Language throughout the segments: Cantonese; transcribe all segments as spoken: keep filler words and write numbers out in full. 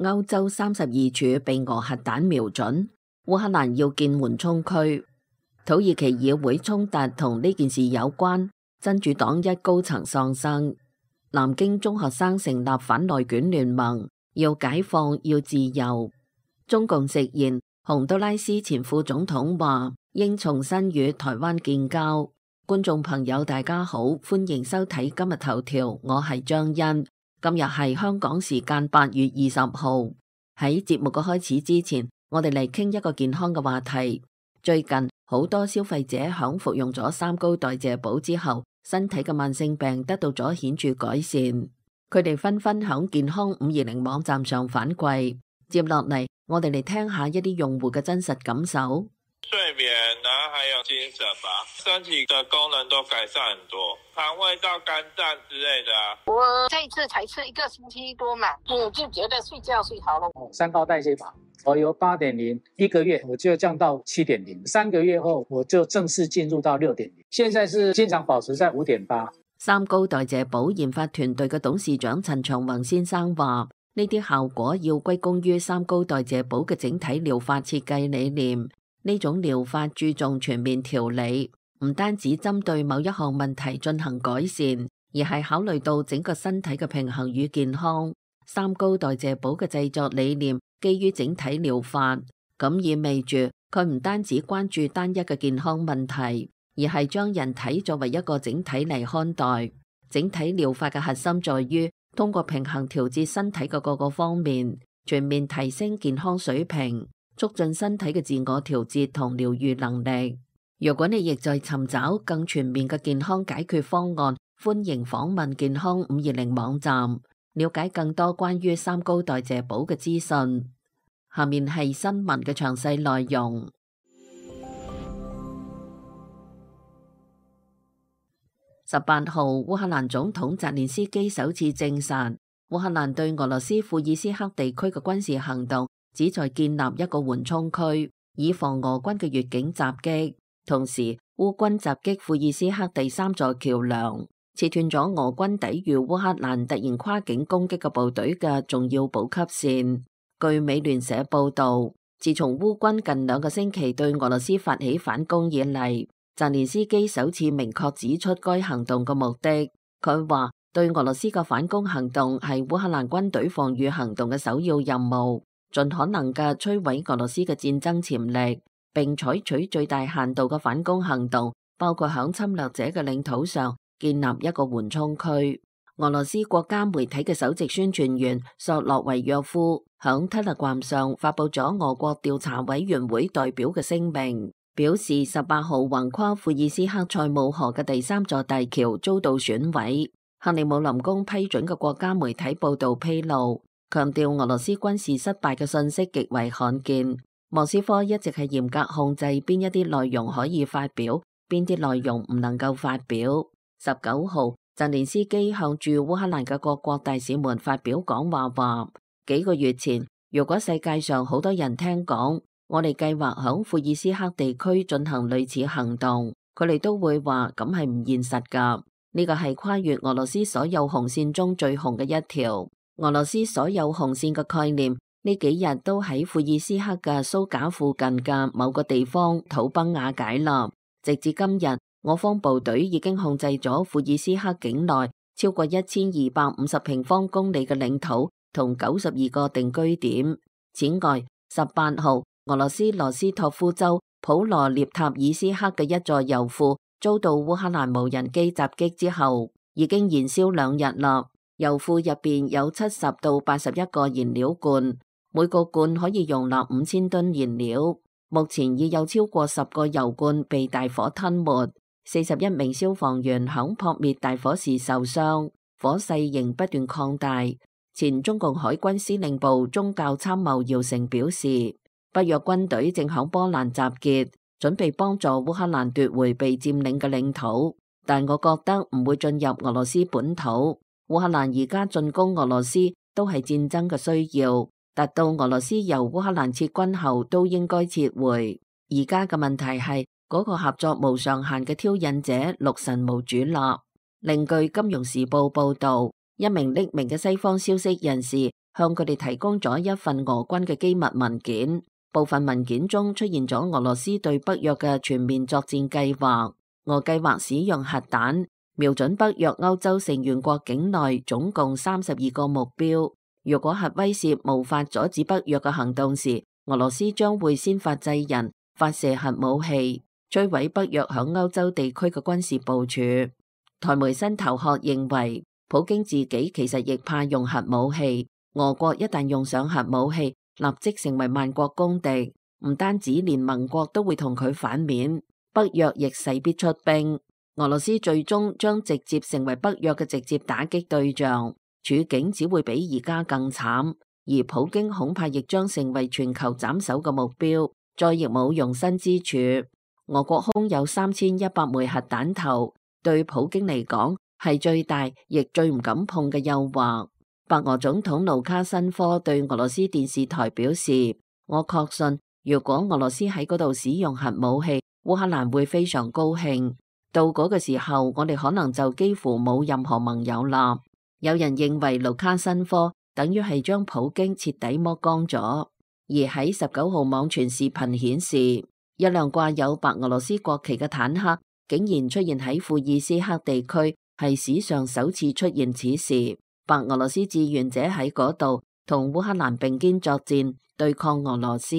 歐洲三十二處被俄核彈瞄準，烏克蘭要建緩衝區。土耳其議會衝突同呢件事有關，真主黨一高層喪生。南京中學生成立反內卷聯盟，要解放，要自由。中共直言，洪都拉斯前副總統話應重新與台灣建交。觀眾朋友大家好，歡迎收睇今日頭條，我係張欣。今日係香港時間八月二十號。喺節目嘅開始之前，我哋嚟傾一個健康嘅話題。最近好多消費者響服用咗三高代謝寶之後，身體嘅慢性病得到咗顯著改善。佢哋紛紛響健康五二零網站上反饋。接落嚟，我哋嚟聽下一啲用戶嘅真實感受。睡眠，然後還有精神吧，身體的功能都改善很多，腸胃道、肝臟之類的啊。我這一次才吃一個星期多嘛，我就覺得睡覺睡好了。三高代謝法，我由八點零一個月我就降到七點零，三個月後我就正式進入到六點零，現在是經常保持在五點八。三高代謝寶研發團隊嘅董事長陳長宏先生話，呢啲效果要歸功於三高代謝寶嘅整體療法設計理念。呢種療法注重全面調理，唔單止針對某一項問題進行改善，而係考慮到整個身體嘅平衡與健康。三高代謝寶嘅製作理念基於整體療法，咁意味住佢唔單止關注單一嘅健康問題，而係將人體作為一個整體嚟看待。整體療法嘅核心在於通過平衡調節身體嘅各個方面，全面提升健康水平，促進身體嘅自我調節同療癒能力。如果你亦在尋找更全面嘅健康解決方案，歡迎訪問健康五二零網站，了解更多關於三高代謝寶嘅資訊。下面係新聞嘅詳細內容。十八號，烏克蘭總統澤連斯基首次證實，烏克蘭對俄羅斯庫爾斯克地區嘅軍事行動旨在建立一個緩衝區，以防俄軍嘅越境襲擊。同時，烏軍襲擊庫爾斯克第三座橋樑，切斷咗俄軍抵禦烏克蘭突然跨境攻擊嘅部隊嘅重要補給線。據美聯社報道，自從烏軍近兩個星期對俄羅斯發起反攻以嚟，澤連斯基首次明確指出該行動嘅目的。佢話，對俄羅斯嘅反攻行動係烏克蘭軍隊防禦行動嘅首要任務，盡可能嘅摧毀俄羅斯嘅戰爭潛力，並採取最大限度嘅反攻行動，包括響侵略者嘅領土上建立一個緩衝區。俄羅斯國家媒體嘅首席宣傳員索洛維約夫響 Telegram 上發佈咗俄國調查委員會代表嘅聲明，表示十八號橫跨庫爾斯克塞姆河嘅第三座大橋遭到損毀。克里姆林宮批准嘅國家媒體報道披露，強調俄羅斯軍事失敗嘅信息極為罕見。莫斯科一直係嚴格控制邊一啲內容可以發表，邊啲內容唔能夠發表。十九號，澤連斯基向駐烏克蘭嘅各國大使們發表講話，話幾個月前，如果世界上好多人聽講我哋計劃響庫爾斯克地區進行類似行動，佢哋都會話咁係唔現實噶。呢個係跨越俄羅斯所有紅線中最紅嘅一條。俄羅斯所有紅線嘅概念呢幾日都喺庫爾斯克嘅蘇賈附近嘅某個地方土崩瓦解啦。直至今日，我方部隊已經控制咗庫爾斯克境內超過一千二百五十平方公里嘅領土同九十二個定居點。此外，十八號，俄羅斯羅斯托夫州普羅涅塔爾斯克嘅一座油庫遭到烏克蘭無人機襲擊之後，已經燃燒兩日啦。油庫入邊有七十到八十一個燃料罐，每個罐可以容納五千噸燃料。目前已有超過十個油罐被大火吞沒，四十一名消防員響撲滅大火時受傷，火勢仍不斷擴大。前中共海軍司令部宗教參謀姚成表示，北約軍隊正響波蘭集結，準備幫助烏克蘭奪回被佔領嘅領土，但我覺得唔會進入俄羅斯本土。烏克蘭而家進攻俄羅斯都係戰爭嘅需要，達到俄羅斯由烏克蘭撤軍後都應該撤回。而家嘅問題係嗰個合作無上限嘅挑釁者六神無主立。另據金融時報報道，一名匿名嘅西方消息人士向佢哋提供咗一份俄軍嘅機密文件。部分文件中出現咗俄羅斯對北約嘅全面作戰計劃。俄計劃使用核彈瞄準北約歐洲成員國境內總共三十二個目標。如果核威懾無法阻止北約嘅行動時，俄羅斯將會先發制人，發射核武器，摧毀北約響歐洲地區嘅軍事部署。台媒新頭殼認為，普京自己其實亦怕用核武器。俄國一旦用上核武器，立即成為萬國公敵，唔單止連盟國都會同佢反面，北約亦勢必出兵。俄羅斯最終將直接成為北約嘅直接打擊對象，處境只會比而家更慘。而普京恐怕亦將成為全球斬首嘅目標，再亦冇容身之處。俄國空有三千一百枚核彈頭，對普京嚟講係最大亦最唔敢碰嘅誘惑。白俄總統盧卡申科對俄羅斯電視台表示：我確信，如果俄羅斯喺嗰度使用核武器，烏克蘭會非常高興。到嗰個時候，我哋可能就幾乎冇任何盟友啦。有人認為盧卡申科等於係將普京徹底剝光咗。而喺十九號網傳視頻顯示，一輛掛有白俄羅斯國旗嘅坦克竟然出現喺庫爾斯克地區，係史上首次出現此事。白俄羅斯志願者喺嗰度同烏克蘭並肩作戰，對抗俄羅斯。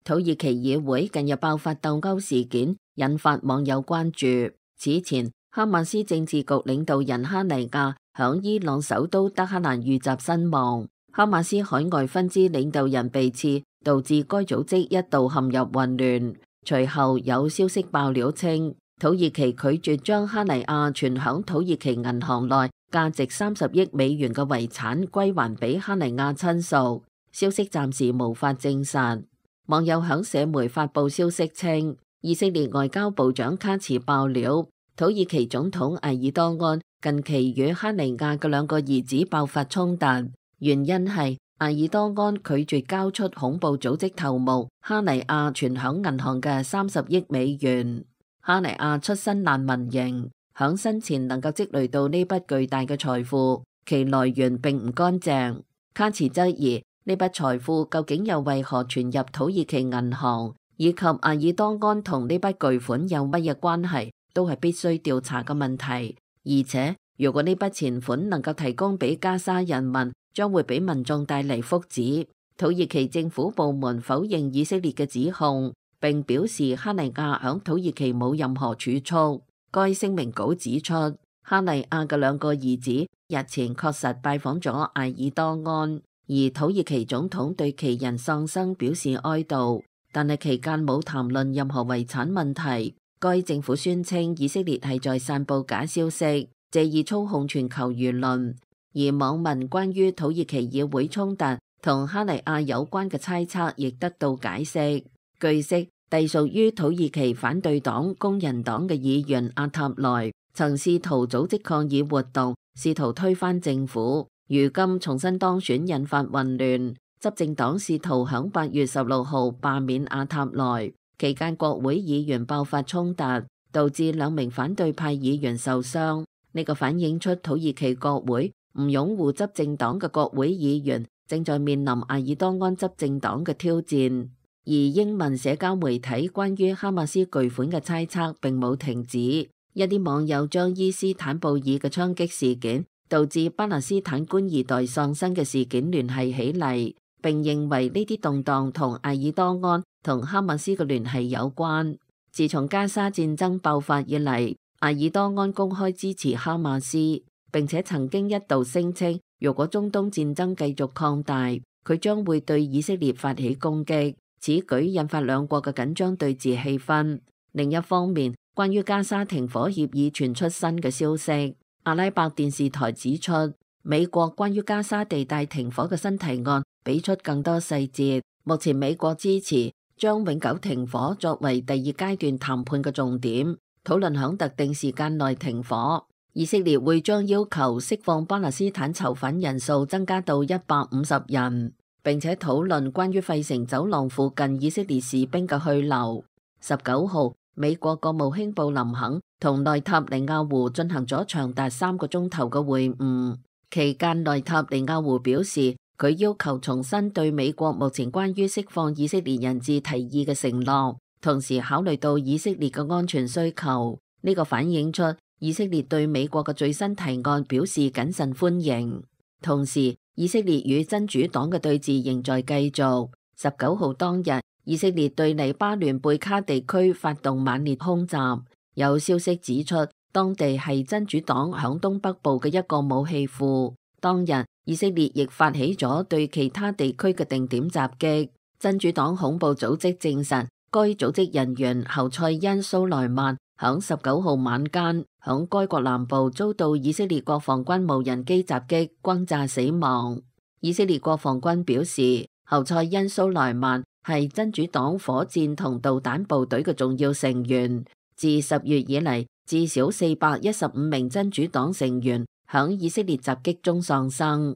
土耳其議會近日爆發鬥毆事件，引發網友關注。此前，哈馬斯政治局領導人哈尼亞響伊朗首都德黑蘭遇襲身亡，哈馬斯海外分支領導人被刺，導致該組織一度陷入混亂。隨後有消息爆料稱，土耳其拒絕將哈尼亞存響土耳其銀行內價值三十億美元嘅遺產歸還俾哈尼亞親屬。消息暫時無法證實。網友響社媒發布消息稱，以色列外交部長卡茨爆料，土耳其總統埃爾多安近期與哈尼亞嘅兩個兒子爆發衝突，原因係埃爾多安拒絕交出恐怖組織頭目哈尼亞存響銀行嘅三十億美元。哈尼亞出身難民營，響生前能夠積累到呢筆巨大嘅財富，其來源並唔乾淨。卡茨質疑呢筆財富究竟又為何存入土耳其銀行，以及埃爾多安同呢筆巨款有乜嘢關係，都係必須調查嘅問題。而且如果呢筆錢款能夠提供俾加沙人民，將會俾民眾帶嚟福祉。土耳其政府部門否認以色列嘅指控，並表示哈尼亞響土耳其冇任何儲蓄。該聲明稿指出，哈尼亞嘅兩個兒子日前確實拜訪咗埃爾多安，而土耳其總統對其人喪生表示哀悼，但係期間冇談論任何遺產問題。該政府宣稱以色列係在散布假消息，借以操控全球輿論。而網民關於土耳其議會衝突同哈尼亞有關嘅猜測亦得到解釋。據悉，隸屬於土耳其反對黨工人黨嘅議員阿塔萊曾試圖組織抗議活動，試圖推翻政府。如今重新當選，引發混亂。執政黨試圖響八月十六號罷免阿塔萊，期間國會議員爆發衝突，導致兩名反對派議員受傷。呢個反映出土耳其國會唔擁護執政黨嘅國會議員正在面臨埃爾多安執政黨嘅挑戰。而英文社交媒體關於哈馬斯巨款嘅猜測並冇停止，一啲網友將伊斯坦布爾嘅槍擊事件導致巴勒斯坦官二代喪生嘅事件聯繫起嚟，並認為呢啲動盪同埃爾多安同哈馬斯嘅聯繫有關。自從加沙戰爭爆發以嚟，埃爾多安公開支持哈馬斯，並且曾經一度聲稱，如果中東戰爭繼續擴大，佢將會對以色列發起攻擊。此舉引發兩國嘅緊張對峙氣氛。另一方面，關於加沙停火協議傳出新嘅消息。阿拉伯電視台指出，美國關於加沙地帶停火嘅新提案俾出更多細節。目前美國支持將永久停火作為第二階段談判嘅重點，討論響特定時間內停火。以色列會將要求釋放巴勒斯坦囚犯人數增加到一百五十人。並且討論關於費城走廊附近以色列士兵嘅去留。十九號，美國國務卿布林肯同內塔尼亞胡進行咗長達三個鐘頭嘅會晤。期間，內塔尼亞胡表示，佢要求重申對美國目前關於釋放以色列人質提議嘅承諾，同時考慮到以色列嘅安全需求。呢、這個反映出以色列對美國嘅最新提案表示謹慎歡迎。同時，以色列與真主黨嘅對峙仍在繼續。十九號當日，以色列對黎巴嫩貝卡地區發動猛烈空襲，有消息指出，當地係真主黨響東北部嘅一個武器庫。當日，以色列亦發起咗對其他地區嘅定點襲擊。真主黨恐怖組織證實，該組織人員侯賽因蘇萊曼響十九號晚間響該國南部遭到以色列國防軍無人機襲擊轟炸死亡。以色列國防軍表示，侯賽因蘇萊曼係真主黨火箭同導彈部隊嘅重要成員。自十月以嚟，至少四百一十五名真主黨成員響以色列襲擊中喪生。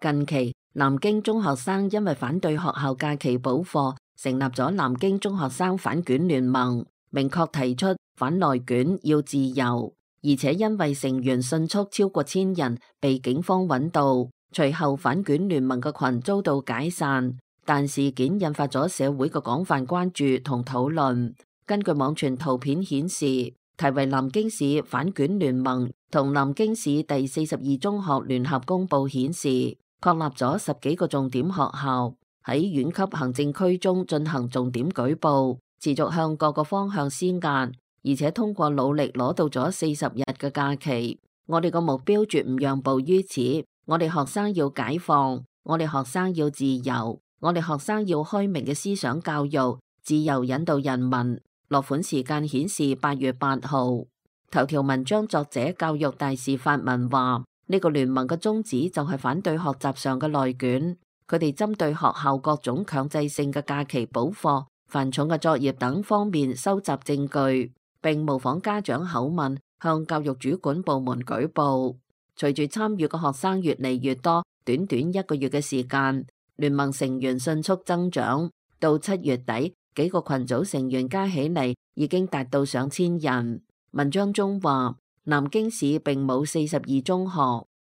近期，南京中學生因為反對學校假期補課，成立咗南京中學生反卷聯盟，明確提出反內卷要自由，而且因為成員迅速超過千人，被警方揾到。隨後反卷聯盟嘅群遭到解散，但事件引發咗社會嘅廣泛關注同討論。根據網傳圖片顯示，題為南京市反卷聯盟同南京市第四十二中學聯合公佈顯示，確立咗十幾個重點學校喺縣級行政區中進行重點舉報，持續向各個方向施壓，而且通過努力攞到咗四十日嘅假期。我哋個目標絕唔讓步於此，我哋學生要解放，我哋學生要自由，我哋學生要開明嘅思想教育，自由引導人民。落款時間顯示八月八號。頭條文章作者教育大使發文話，呢個聯盟嘅宗旨就係反對學習上嘅內卷，佢哋針對學校各種強制性嘅假期補課、繁重嘅作業等方面收集證據，並模仿家長口吻向教育主管部門舉報。隨住參與嘅學生越嚟越多，短短一個月嘅時間，聯盟成員迅速增長，到七月底，幾個群組成員加起嚟已經達到上千人。文章中話，南京市並冇四十二中學，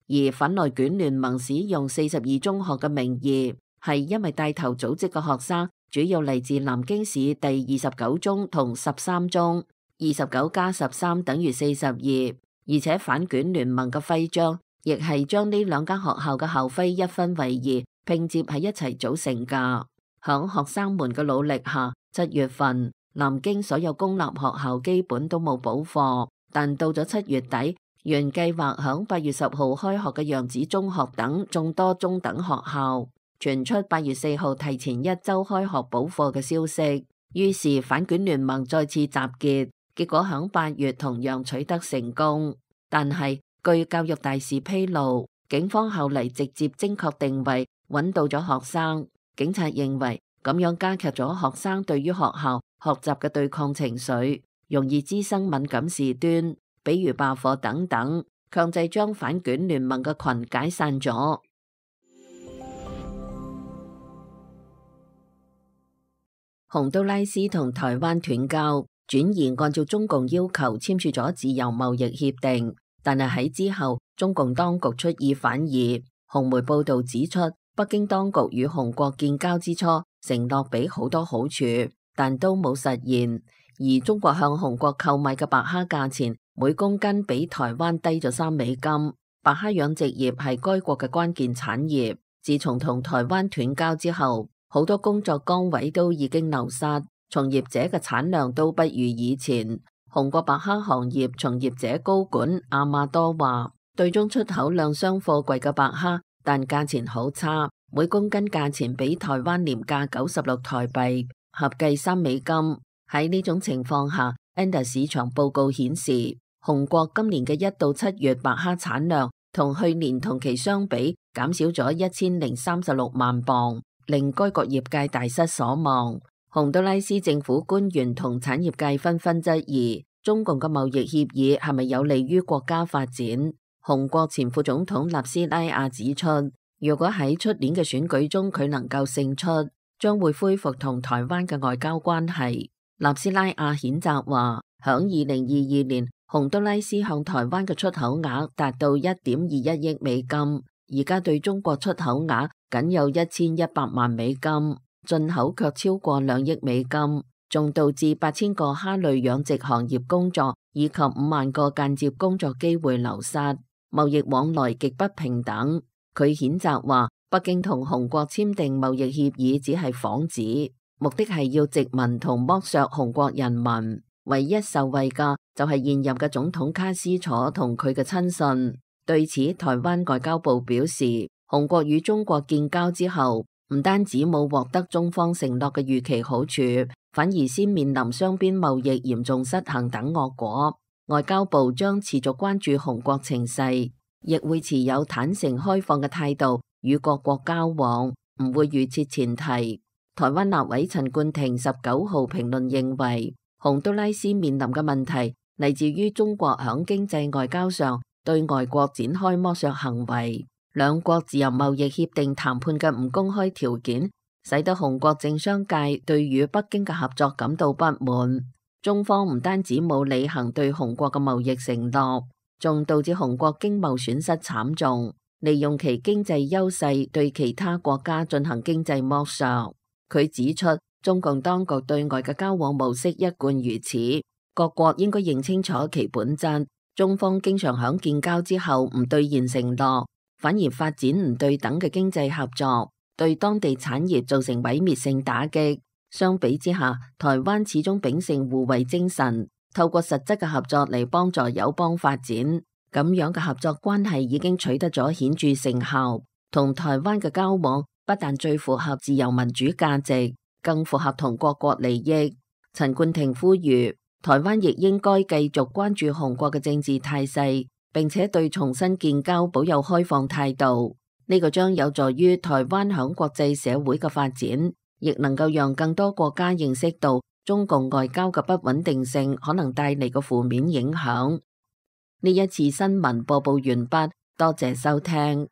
而反內卷聯盟使用四十二中學嘅名義，係因為帶頭組織嘅學生主要嚟自南京市第二十九中同十三中，二十九加十三等於四十二，而且反卷聯盟嘅徽章亦係將呢兩間學校嘅校徽一分為二，拼接喺一齊組成㗎。響學生們嘅努力下，七月份南京所有公立學校基本都冇補課，但到咗七月底，原計劃響八月十號開學嘅揚子中學等眾多中等學校傳出八月四號提前一周開學補課嘅消息，於是反卷聯盟再次集結，結果響八月同樣取得成功。但係據教育大使披露，警方後嚟直接精確定位，揾到咗學生。警察認為咁樣加劇咗學生對於學校學習嘅對抗情緒，容易滋生敏感事端，比如罷課等等，強制將反卷聯盟嘅群解散咗。洪都拉斯同台灣斷交，轉而按照中共要求簽署咗自由貿易協定，但係喺之後，中共當局出爾反爾。紅媒報道指出，北京當局與洪國建交之初，承諾俾好多好處，但都冇實現。而中國向洪國購買嘅白蝦價錢，每公斤比台灣低咗三美金。白蝦養殖業係該國嘅關鍵產業。自從同台灣斷交之後，好多工作崗位都已經流失，從業者嘅產量都不如以前。洪國白蝦行業從業者高管阿馬多話，對中出口量雙貨櫃嘅白蝦，但價錢好差，每公斤價錢比台灣廉價九十六台幣，合計三美金。喺呢種情況下 Ender 市場報告顯示，洪國今年嘅一到七月白蝦產量同去年同期相比減少咗一千零三十六萬磅，令該國業界大失所望。洪都拉斯政府官員同產業界紛紛質疑，中共嘅貿易協議係咪有利於國家發展？洪國前副總統納斯拉亞指出，如果喺出年嘅選舉中佢能夠勝出，將會恢復同台灣嘅外交關係。納斯拉亞譴責話，響二零二二年，洪都拉斯向台灣嘅出口額達到一點二一億美金，而家對中國出口額僅有一千一百萬美金，進口卻超過兩億美金，仲導致八千個蝦類養殖行業工作以及五萬個間接工作機會流失，貿易往來極不平等。佢譴責話，北京同洪國簽訂貿易協議只係幌子，目的係要殖民同剝削洪國人民，唯一受惠嘅就係現任嘅總統卡斯楚同佢嘅親信。對此，台灣外交部表示，洪國與中國建交之後，唔單止冇獲得中方承諾嘅預期好處，反而先面臨雙邊貿易嚴重失衡等惡果。外交部將持續關注洪國情勢，亦會持有坦誠開放嘅態度與各國交往，唔會預設前提。台灣立委陳冠廷十九號評論認為，洪都拉斯面臨嘅問題嚟自於中國響經濟外交上對外國展開剝削行為，兩國自由貿易協定談判嘅唔公開條件，使得洪國政商界對與北京嘅合作感到不滿。中方唔單止冇履行對洪國嘅貿易承諾，仲導致洪國經貿損失慘重，利用其經濟優勢對其他國家進行經濟剝削。佢指出，中共當局對外嘅交往模式一貫如此，各國應該認清楚其本質。中方經常響建交之後唔兌現承諾，反而發展唔對等嘅經濟合作，對當地產業造成毀滅性打擊。相比之下，台灣始終秉承互惠精神，透過實質嘅合作嚟幫助友邦發展。咁樣嘅合作關係已經取得咗顯著成效，同台灣嘅交往不但最符合自由民主價值，更符合同各國利益。陳冠廷呼籲，台灣亦應該繼續關注洪國嘅政治態勢，並且對重新建交保有開放態度。呢個將有助於台灣響國際社會嘅發展，亦能夠讓更多國家認識到中共外交嘅不穩定性可能帶嚟嘅負面影響。呢一次新聞播報完畢，多謝收聽。